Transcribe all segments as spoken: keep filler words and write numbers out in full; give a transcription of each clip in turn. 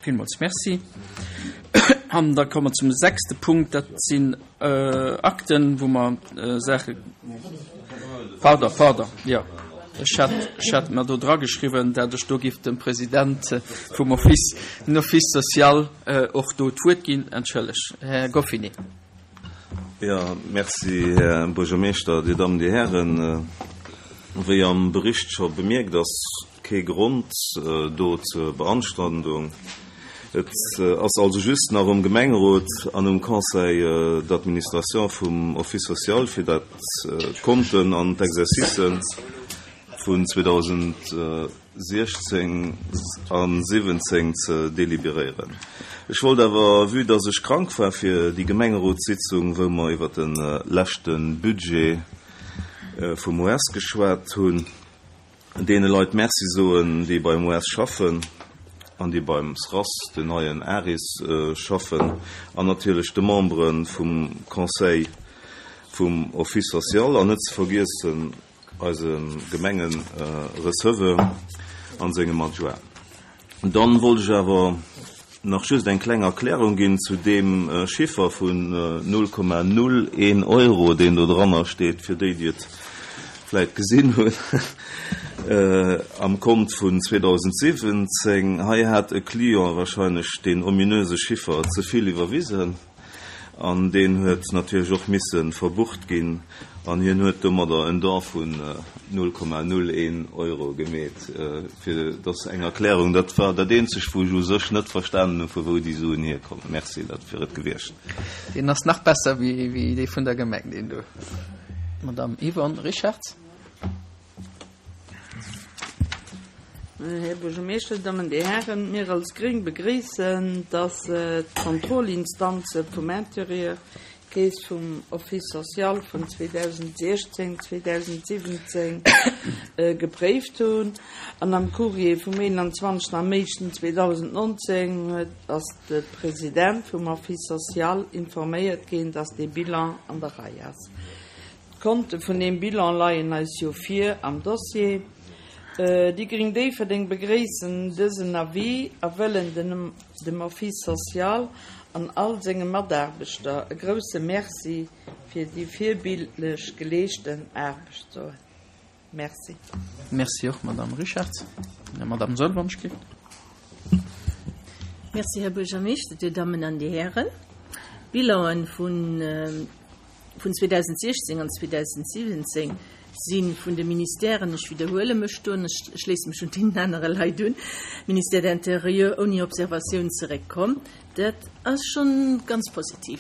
Villmools Merci. An da komme mer zum sechste Punkt, dat sinn Akten, wou mer Saache. Pardon, pardon, jo, ech hat, ech hat mer do drageschriwwen, dat ech do giff dem President vum Office, den Office social och do d'Wuert ginn. Entschëlleg, Här Goffinet. Jo, merci, Här Buergermeeschter, Dir Dammen, Dir Hären. Wéi am Bericht scho bemierkt, ass kee Grond do zur Beanstandung. Et ass also just nach um Gemengerot an um Conseil d'administration vum Office social, fir dat d'Konten an d'Exercicen vun zweedausentsiechzéng a siwwenzéng ze deliberéieren. Ech wollt awer, vue dass ech krank war fir déi Gemengerotssitzung, wou mer iwwert de leschte Budget vum O S geschwat hunn, deene Leit Merci soen, déi beim O S schaffen an déi beim S R A S, den neien ARIS, schaffen, an natierlech de Membere vum Conseil vum Office social an net ze vergiessen eise Gemengereceveur an sengem Adjoint. Dann wollt ech awer nach just eng kleng Erklärung ginn zu deem Chiffer vun null Komma null een Euro, deen do dranner steet, fir déi, déi et vläit gesinn hunn, am Kont vun zweedausentsiwwenzéng. Hei hat e Client wahrscheinlech deen ominöse Chiffer ze vill iwwerwisen an deen huet natierlech och misse verbucht ginn an hien huet domadder en Don vun null Komma null een Euro gemeet. Fir dass eng Erklärung, dat war dat eenzegt, wou ech u sech net verstanen hunn, vu wou déi Suen hierkommen. Merci, dat wier et gewiescht. Deen ass nach besser wéi dee vun der Gemeng, deen do. Madame Yvonne Richartz. Här Buergermeeschter, Dammen, Dir Hären, mir als Gréng begréissen, dass d'Kontrollinstanze vum Intérieur d'Keess vum Office social vun zweedausentsiechzéng, zweedausentsiwwenzéng gepréift hunn. An am Courrier vum eenanzwanzegsten am éischten zweedausendnonzéng ass de President vum Office social informéiert ginn, dass dee Bilan an der Rei ass. D'Konte vun deem Bilan leien eis jo vir am Dossier. Déi Gréng Déifferdeng begréissen dësen Avis a wëllen dem Office social an all senge Mataarbechter e grousse Merci fir déi virbildlech geleeschten Aarbecht soen. Merci. Merci och, Madame Richartz. Madame Soll, wann ech géif. Merci, Här Buergermeeschter, Dir Dammen an Dir Hären. D'Bilanen vun vun zweedausentsiechzéng an zweedausentsiwwenzéng si vun de Ministèren, ech widderhuele mech do, ech schléisse mech un deenen anere Leit un, Ministère de l'Intérieur ouni Observatioun zeréckkomm. Dat ass schonn ganz positiv.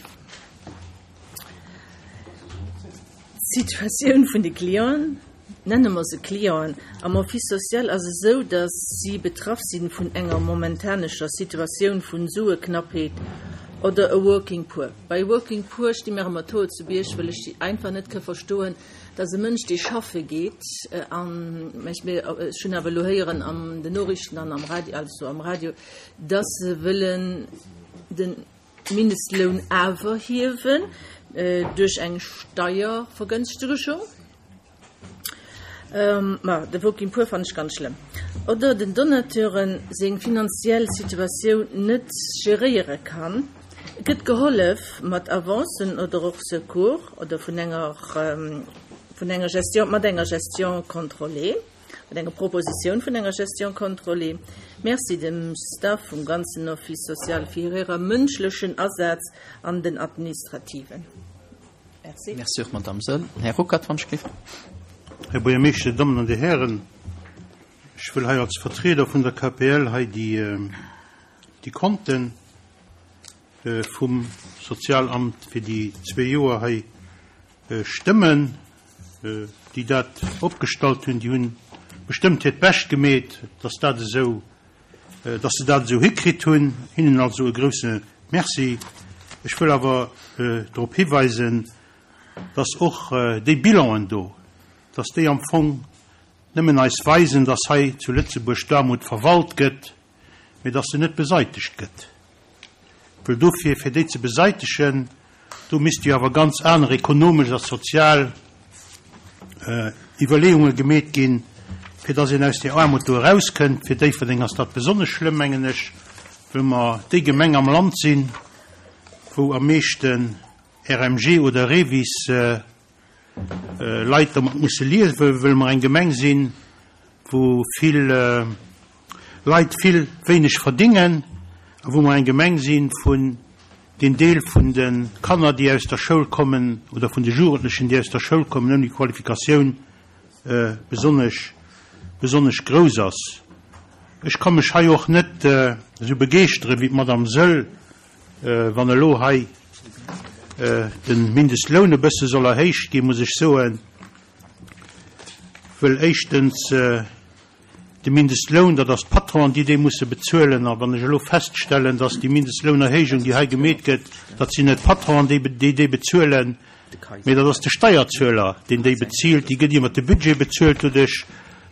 D'Situatioun vun de Clienten, nenne mer se Clienten, am Office social ass esou, datt si betraff si vun enger momentanescher Situatioun vun Sueknappheet oder e Working Poor. Bei Working Poor sti mir ëmmer d'Hoer zu Bierg, well ech einfach net ka verstoen, datt e Mënsch, dee schaffe geet, an ech hunn awer elo héieren an den Noriichten an am Radio, also am Radio, datt se wëllen de Mindestloun awer hiewen duerch eng Steiervergënschtegung. Ma de Working Poor fannen ech ganz schlëmm. Oder den Donateuren seng finanziell Situatioun net geréiere kann. Et gëtt gehollef mat Avancen oder och Secours oder vun enger vun enger Gestion, mat enger Gestion contrôlée, mat enger Propositioun vun enger Gestion contrôlée. Merci dem Staff vum ganzen Office social fir hire mënschlechen Asaz an den administrativen. Merci. Merci och, Madame Soll. Här Ruckert, wann ech géif. Här Buergermeeschter, Dir Dammen an Dir Hären, ech wëll hei als Vertrieder vun der K P L hei déi, déi Konten vum Sozialamt fir déi zwee Joer hei stëmmen. Déi dat opgestallt hunn, déi hunn bestëmmt hiert Bescht gemeet, dass dat esou, dass se dat esou hikritt hunn. Hinnen also e grousse Merci. Ech wëll awer drop hiweisen, dass och déi Bilanen do, dass déi am Fong nëmmen eis weisen, dass hei zu Lëtzebuerg d'Aarmut verwalt gëtt, mee dass se net beseitegt gëtt. Well dofir, fir déi ze beseitegen, do misst jo awer ganz aner ekonomesch a sozial Iwwerleeunge gemeet ginn, fir dass een aus der Aarmut do erauskënnt. Fir Déifferdeng ass dat besonnesch schlëmm, mengen ech. wëll mer déi Gemeng am Land sinn, wou am meeschten R M G oder REVIS äh, äh, Leit domat musse liewen, wëll mer eng Gemeng sinn, wou vill äh, Leit vill wéineg verdingen, a wou mer eng Gemeng sinn vun den Deel vun de Kanner, déi aus der Schoul kommen oder vun de Jugendlechen, déi aus der Schoul kommen, ouni Qualifikatioun äh, besonnesch besonnesch grouss ass. Ech ka mech hei och net äh, sou begeeschtere wéi d'Madame Söll, äh, wann elo hei äh, den Mindestloun e bësse soll erhéicht ginn, muss ech soen, wëll éischtens äh, de Mindestloun, dat ass d'Patronen, déi dee musse bezuelen, a wann ech elo feststellen, dass déi Mindestlounerhéijung, déi hei gemeet gëtt, dat sinn net d'Patronen, déi, déi déi bezuelen, mee dat ass de Steierzueler, deen déi bezilt, déi gëtt iwwer de Budget bezuelt doduerch,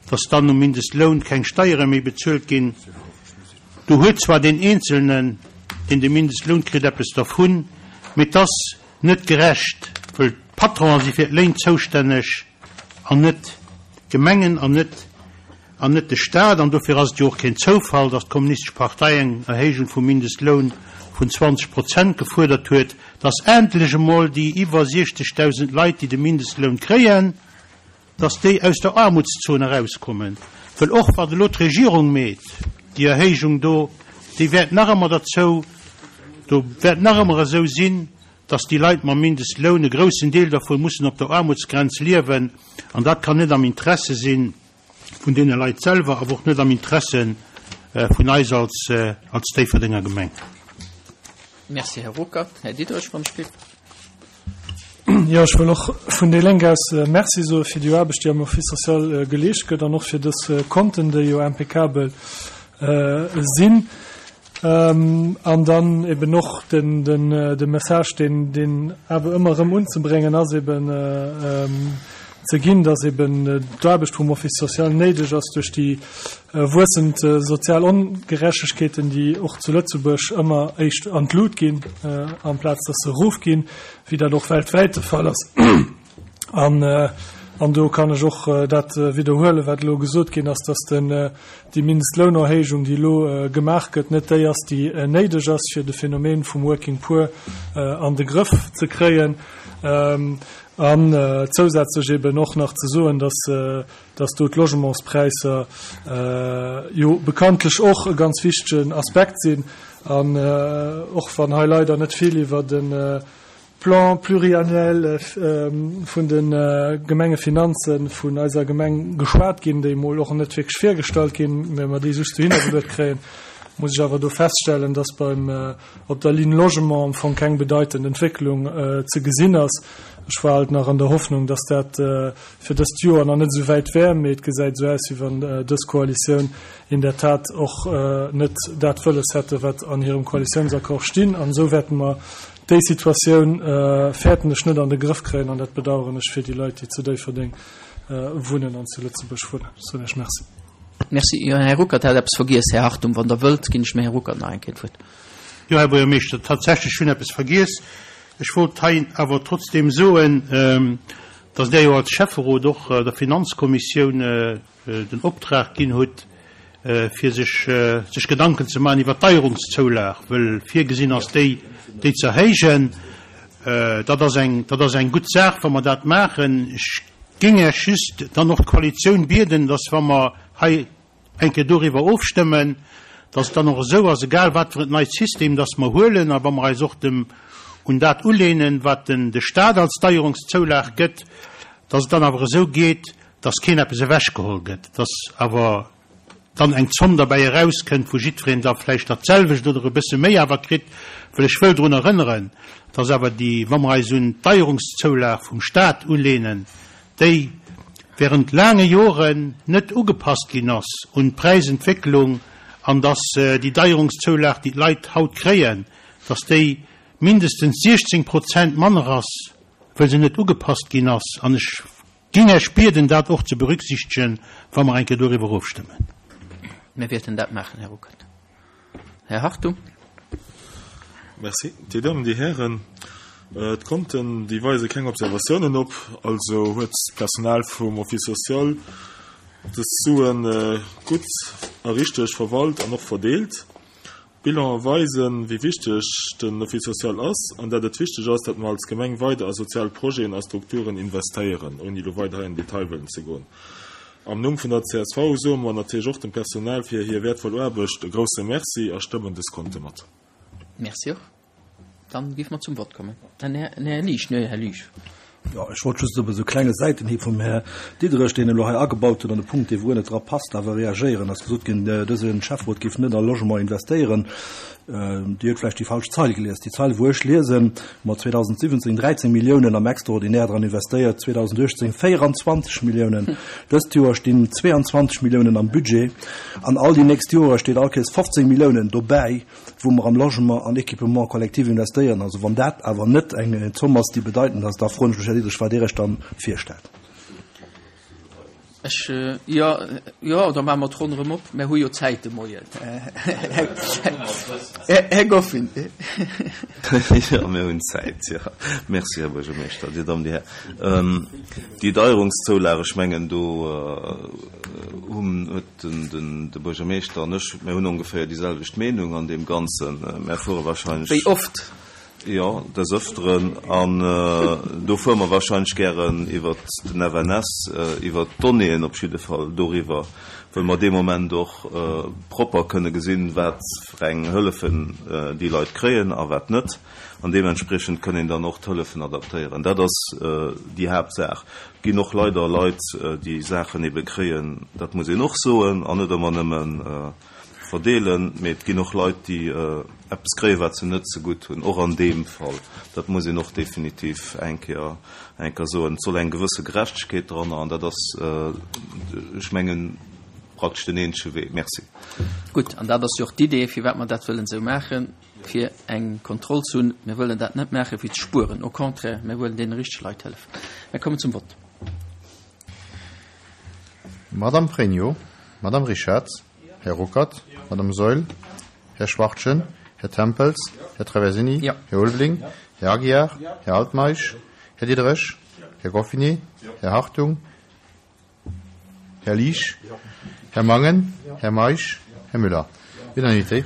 dass dann um Mindestloun keng Steiere méi bezuelt ginn. Do huet zwar den Einzelnen, deen de Mindestloun kritt, eppes dervun, mee dat ass net gerecht, well d'Patronen si fir d'Léin zoustänneg an net d'Gemengen an net an net de Staat, an dofir ass et jo och keen Zoufall, dass d'Kommunistesch Partei eng Erhéijung vum Mindestloun vun zwanzeg Prozent gefuerdert huet, dass endlech emol déi iwwer siechzegdausend Leit, déi de Mindestloun kréien, dass déi aus der Aarmutszon erauskommen. Well och wat elo d'Regierung meet, déi Erhéijung do, déi wäert nach ëmmer derzou, do wäert nach ëmmer esou sinn, dass déi Leit mam Mindestloun, e groussen Deel dervun, mussen op der Aarmutsgrenz liewen, an dat kann net am Interesse sinn vun deene Leit selwer, awer och net am Interesse äh, vun eis als, äh, als Déifferdenger Gemeng. Merci, Här Ruckert. Här Diderich vum Spill. Jo, ech wëll och vun déi Lénk aus äh, Merci soe fir déi Aarbecht, déi am Office social äh, geleescht gëtt an och fir dës äh, Konten, déi jo impeccabel äh, sinn. Ähm, an dann eben och den, den, äh, de Message, deen, deen awer ëmmer erëm unzebréngen ass eben äh, ähm, ze ginn, dass eben äh, d'Aarbecht vum Office social néideg ass duerch déi äh, wuessend äh, sozial Ongerechtegkeeten, déi och zu Lëtzebuerg ëmmer éischt an d'Lut ginn, äh, amplaz dass se erofginn, wéi dat och weltwäit de Fall ass. An, äh, an do kann ech och äh, dat äh, widderhuelen, wat elo gesot ginn ass, dass den, äh, déi Mindestlounerhéijung, déi elo äh, gemaach gëtt, net déi ass, déi äh, néideg ass fir de Phänomen vum Working Poor äh, an de Grëff ze kréien. Ähm, an äh, zousätzlech eben och nach ze soen, dass, äh, dass do d'Logementspräisser äh, jo bekanntlech och e ganz wichtegen Aspekt sinn an äh, och wann hei leider net vill iwwer den äh, Plan pluriannuel äh, ähm, vun den äh, Gemengefinanzen vun eiser Gemeng geschwat ginn, déi mol och net wierklech virgestallt ginn, well mer déi just dohinner kréien, muss ech awer do feststellen, dass beim äh, op der Ligne Logement am Fong keng bedeitend Entwécklung äh, ze gesinn ass. Ech war halt nach an der Hoffnung, dass dat äh, fir dëst Joer nach net sou wäit wär, mee et gesäit sou aus, wéi wann äh, dës Koalitioun in der Tat och äh, net dat wëlles hätte, wat an hirem Koalitiounsaccord stinn. An sou wäerte mer déi Situatioun äh, fäerten ech net an de Grëff kréien an dat bedaueren ech fir déi Leit, déi zu Déifferdeng äh, wunnen an zu Lëtzebuerg wunnen. Sou, Merci. Merci. Jo, Här Ruckert hat eppes vergiess. Här Hartung, wann Der wëllt, ginn ech dem Här Ruckert nach eng Kéier d'Wuert. Jo, Här Buergermeeschter, tatsächlech schonn eppes vergiess. Ech wollt hei awer trotzdem soen, ähm, dass Der jo als Schäfferot och äh, der Finanzkommissioun äh, äh, den Optrag ginn hutt, äh, fir sech, äh, sech Gedanken ze maachen iwwer d'Deierungszoulag, well virgesinn ass déi, déi ze erhéijen. Äh, dat ass eng, dat ass eng gutt Saach, wa mer dat maachen. Ech géing just dann och d'Koalitioun bieden, dass wa mer hei eng Kéier doriwwer ofstëmmen, dass dann och esou ass, egal wat fir en neit System dass mer huelen, awer mer eis och dem un dat ulehnen, wat den de Staat als Deierungszoulag gëtt, dass et dann awer esou geet, dass keen eppes ewechgeholl gëtt, dass awer dann eng Zomm derbäi erauskënnt, wou jiddwereen da vläicht dat selwecht oder e bësse méi awer kritt, well ech wëll drun erënneren, dass awer déi, wa mer eis un d'Deierungszoulag vum Staat ulehnen, déi während laange Joren net ugepasst ginn ass un d'Präisentwécklung an dass äh, déi Deierungszoulag, déi d'Leit haut kréien, dass déi mindestens siechzéng Prozent manner ass, well se net ugepasst ginn ass. An ech géing Iech bieden, dat och ze berücksichtegen, wa mer eng Kéier doriwwer ofstëmmen. Mir wäerten dat maachen, Här Ruckert. Här Hartung. Merci. Dir Dammen, Dir Hären, äh, d'Konten, déi weise keng Observatiounen op, also huet d'Personal vum Office social dës Suen äh, gutt a richteg verwalt an och verdeelt. D'Bilanen weisen, wéi wichteg den Office social ass an dat et wichteg ass, dat mer als Gemeng weider a sozial Projeten a Strukturen investéieren, ouni lo weider hei an Detail wëllen ze goen. Am Numm vun der C S V soe mer natierlech och dem Personal fir hir wäertvoll Aarbecht e grousse Merci a stëmmen dës Konte mat. Merci och. Dann géife mer zum Vott kommen. Dann Här, Här Liesch, ne, Här Liesch. Ja, ech wollt just op esou klenge Säitenhieb vum Här Diderich, deen elo hei agebaut huet, an de Punkt, dee wou net dra passt, awer reagéieren. Ass gesot ginn, äh, dëse Schäfferot géif net a Logement investéieren. Äh, Dir hutt vläicht déi falsch Zeil gelies. Déi Zeil, wou ech liesen, mat zweedausendsiwwenzéng dräizéng Milliounen am Extraordinaire dran investéiert, zweedausenduechtzéng véierenzwanzeg Milliounen. Dëst Joer stinn zweeanzwanzeg Milliounen am Budget. An all déi nächst Joer steet all Kéiers fofzéng Milliounen dobäi, wou mer am Logement an Équipement collectif investéieren. Also wann dat awer net eng Zomm ass, déi bedeitend ass, da froen ech mech, Här Diderich, wat Dir Iech dann virstellt. Ech, äh, ja, ja, da maache mer d'Ronn erëm op. Mir hu jo Zäit de Moien. Här, Här Goffin. Ja, mir hunn Zäit, ja. Merci, Här Buergermeeschter, Dir Dammen, Dir Här. Ähm, déi Deierungszoulage, ech mengen, do äh, hunn huet den, den, de Buergermeeschter an ech, mir hunn ongeféier déi selwecht Meenung an deem Ganzen. Mir fuere warscheinlech Wéi oft? Ja, des Öfteren an äh, do fuere mer warscheinlech gären iwwer den F N S, äh, iwwer d'Donnéeën op jidde Fall doriwwer, well mer dee Moment och äh, propper kënne gesinn, wat fir eng Hëllefen äh, déi Leit kréien a wat net. An deementspriechend kënnen een dann och d'Hëllefen adaptéieren. Dat ass äh, déi Haaptsaach. Ginn och leider Leit, äh, déi Saachen ebe kréien, dat muss een och soen, an net ëmmer nëmmen äh, verdeelen, mee et ginn och Leit, déi äh, eppes kréien, wat se net ze gutt hunn, och an deem Fall. Dat muss een och definitiv eng Kéier eng Kéier soen. Et soll eng gewësse Gerechtegkeet dran an dat ass äh, ech mengen praktesch den eenzege Wee. Merci. Gutt, an dat ass jo och d'Idee, firwat mer dat wëllen sou maachen, fir eng Kontroll ze hunn. Mir wëllen dat net maachen, fir ze spueren. Au contraire, mir wëllen deene richtege Leit hëllefen. Mir kommen zum Vott. Madame Pregno, Madame Richarz, Här Ruckert, Madame Saeul, Här Schwachtgen, Här Tempels, Här Traversini, Ja. Här Ulveling, Här Aguiar, Här Altmeisch, Här Diderich, Här Goffinet, Här Hartung, Här Liesch, Här Mangen, Här Meisch, Här Müller. Unanimité.